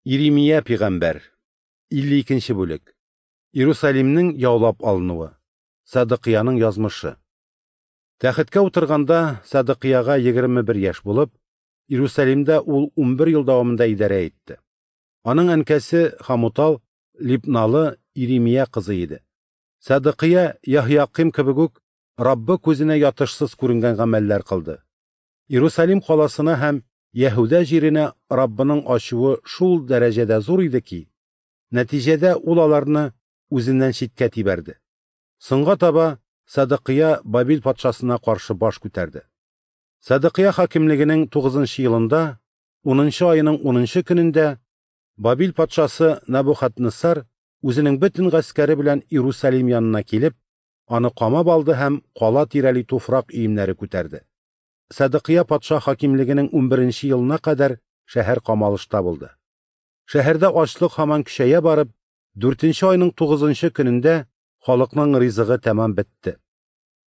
Иремия пигамбәр. 52 нче бүлек. Иерусалимнең яулап алынуы. Садыкыяның язмышы. Тәхеткә утырганда Садыкыяга 21 яшь булып, Иерусалимдә ул 11 ел дәвамында идарә итте. Аның әнкәсе Хамутал Либналы Иремия кызы иде. Садыкыя Яһяким кебек үк Раббы күзенә ятышсыз күренгән гамәлләр кылды. Иерусалим каласына һәм Яһүдә җиренә Раббының ачуы шул дәрәҗәдә зур иде ки, нәтиҗәдә ул аларны үзеннән читкә тибәрде. Соңга таба Садыкыя Бабил патшасына каршы баш күтәрде. Садыкыя хакимлегенең 9 елында, 10 аеның 10 көнендә Бабил патшасы Набухаднессар үзенең бөтен гаскәре белән Иерусалим янына килеп, аны камап алды һәм кала тирәли туфрак өемнәре күтәрде. Садыкыя патша хакимлегенең 11 елына кадәр шәһәр камалышта булды. Шәһәрдә ачлык һаман көчәя барып, 4 айның 9 көнендә халыкның ризыгы тәмам бетте.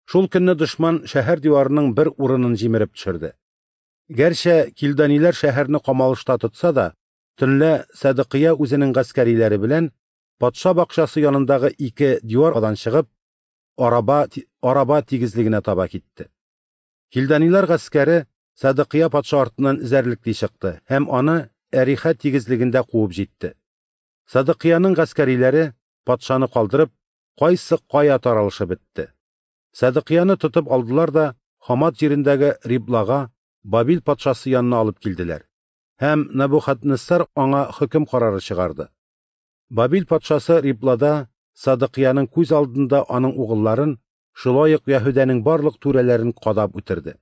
Шул көнне дошман шәһәр диварының бер урынын җимереп төшерде. Гәрчә килданиләр шәһәрне камалышта тотса да, төнлә Садыкыя үзенең гаскәриләре белән патша бакчасы янындагы ике дивардан чыгып, араба тигезлегенә таба китте. Килданиләр гаскәре Садыкыя патша артыннан эзәрлекли чыкты һәм аны Әриха тигезлегендә куып җитте. Садыкыяның гаскәриләре патшаны калдырып, кайсы кая таралышып бетте. Садыкыяны тотып алдылар да Хамат җирендәге Риблага Бабил патшасы янына алып килделәр. Һәм Набухаднессар аңа хөкем карары чыгарды. Бабил патшасы Риблада Садыкыяның күз алдында аның угылларын, шулай ук Яһүдәнең барлык түрәләрен кадап үтерде.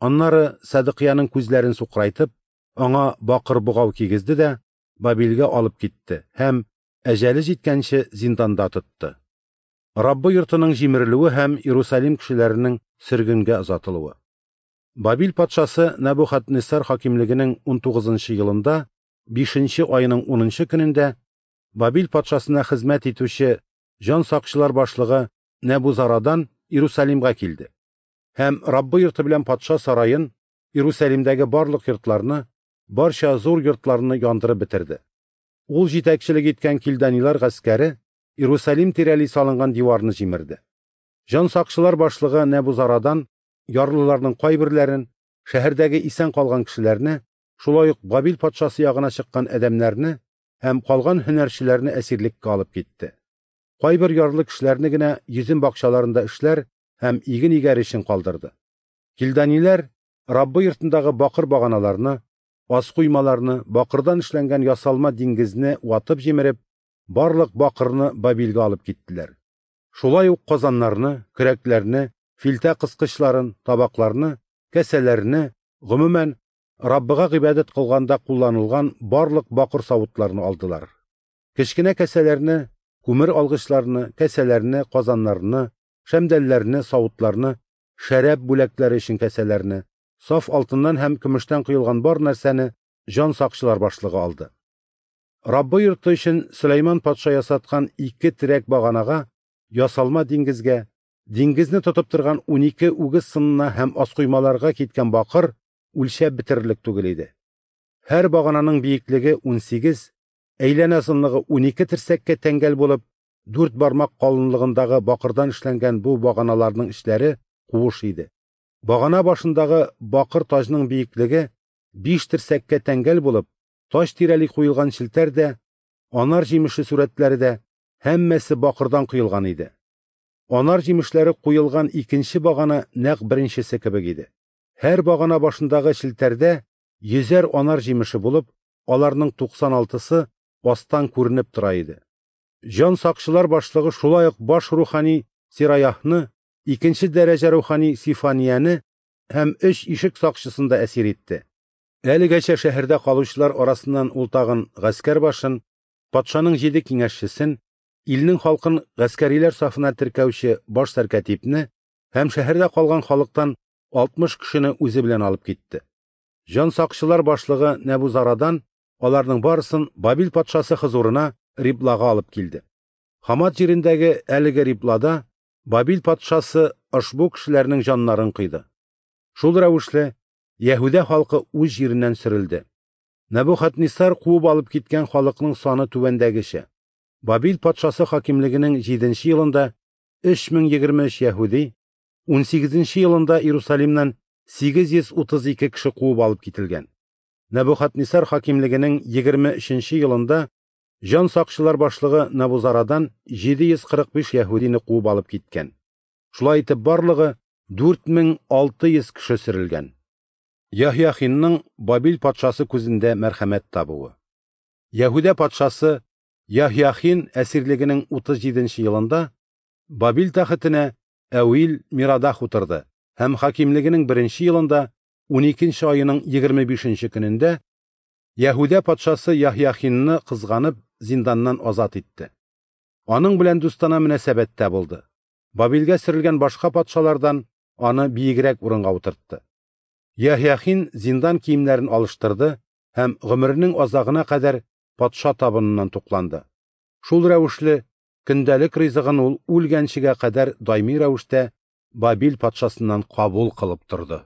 Аннары Садыкыяның күзләрен сукрайтып, аңа бакыр богау кигезде дә Бабилгә алып китте һәм әҗәле җиткәнче зинданда тотты. Раббы йортының җимерелүе һәм Иерусалим кешеләренең сөргенгә озатылуы. Бабил патшасы Набухаднессар хакимлегенең 19 елында, 5 аеның 10 көнендә Бабил патшасына хезмәт итүче җан сакчылар башлыгы Нәбузарадан Иерусалимгә килде. Һәм Раббы йорты белән патша сараен, Иерусалимдәге барлык йортларны, барча зур йортларны яндырып бетерде. Ул җитәкчелек иткән килданилар гаскәре Иерусалим тирәли салынган диварны җимерде. Җан сакчылар башлыгы Нәбузарадан ярлыларның кайберләрен, шәһәрдәге исән калган кешеләрне, шулай ук Бабил патшасы ягына чыккан адәмнәрне һәм калган һөнәрчеләрне әсирлеккә алып китте. Кайбер ярлы кешеләрне генә йөзем бакчаларында эшләр һәм иген игәр өчен калдырды. Килданиләр Раббы йортындагы бакыр баганаларны, аскуймаларны, бакырдан эшләнгән ясалма диңгезне ватып җимереп, барлык бакырны Бабилгә алып киттеләр. Шулай ук казаннарны, көрәкләрне, филтә кыскычларын, табакларны, кәсәләрне, гомумән, Раббыга гыйбадәт кылганда кулланылган барлык бакыр савытларны алдылар. Кечкенә кәсәләрне, күмер алгычларны, кәсәләрне, казаннарны, шәмдәлләрне, савытларны, шәраб бүләкләре өчен кәсәләрне, саф алтыннан һәм көмештән коелган бар нәрсәне җан сакчылар башлыгы алды. Раббы йорты өчен Сөләйман патша ясаткан ике терәк баганага, ясалма диңгезгә, диңгезне тотып торган 12 үгез сынына һәм аскуймаларга киткән бакыр үлчәп бетерерлек түгел иде. Һәр багананың биеклеге 18, әйләнә озынлыгы 12 терсәккә тәңгәл булып, 4 бармак калынлыгындагы бакырдан эшләнгән бу баганаларның эчләре куыш иде. Багана башындагы бакыр таҗның биеклеге 5 терсәккә тәңгәл булып, таҗ тирәли куелган челтәр дә, анар җимеше сурәтләре дә һәммәсе бакырдан коелган иде. Анар җимешләре куелган икенче багана нәкъ беренчесе кебек иде. Һәр багана башындагы челтәрдә 100 анар җимеше булып, аларның 96-сы астан күренеп тора иде. Җан сакчылар башлыгы шулай ук баш рухани Сираяхны, икенче дәрәҗә рухани Сифанияне һәм 3 ишек сакчысын да әсир итте. Әлегәчә шәһәрдә калучылар арасыннан ул тагын гаскәр башын, патшаның 7 киңәшчесен, илнең халкын гаскәриләр сафына теркәүче баш сәркәтипне һәм шәһәрдә калган халыктан 60 кешене үзе белән алып китте. Җан сакчылар башлыгы Нәбузарадан аларның барысын Бабил патшасы хозурына Риблага алып килде. Хамат җирендәге әлеге Риблада Бабил патшасы ошбу кешеләрнең җаннарын кыйды. Шул рәвешле Яһүдә халкы үз җиреннән сөрелде. Нәбухаднисар куып алып киткән халыкның саны түбәндәгечә: Бабил патшасы хакимлегенең 7 елында 3023 яһүди, 18 елында Иерусалимнан 832 кеше куып алып кителгән. Нәбухаднисар хакимлегенең 23 елында җан сакчылар башлыгы Набузарадан 745 яһүдине куып алып киткән. Шулай итеп барлыгы 4600 кеше сөрелгән. Яһьяхинның Бабил патшасы күзендә мәрхәмәт табуы. Яһүдә патшасы Яһьяхин әсирлегенең 37 елында Бабил тәхетенә Әуил Мирадах утырды һәм хакимлегенең 1 елында 12 айының 25 көнендә Яһүдә патшасы Яһьяхинны кызганып зинданнан азат итте. Аның белән дустана мөнәсәбәттә булды. Бабилгә сөрелгән башка патшалардан аны биегрәк урынга утыртты. Яһьяхин зиндан киемнәрен алыштырды һәм гомеренең азагына кадәр патша табыныннан тукланды. Шул рәвешле көндәлек ризыгын ул үлгәнчегә кадәр даими рәвештә Бабил патшасыннан кабул кылып торды.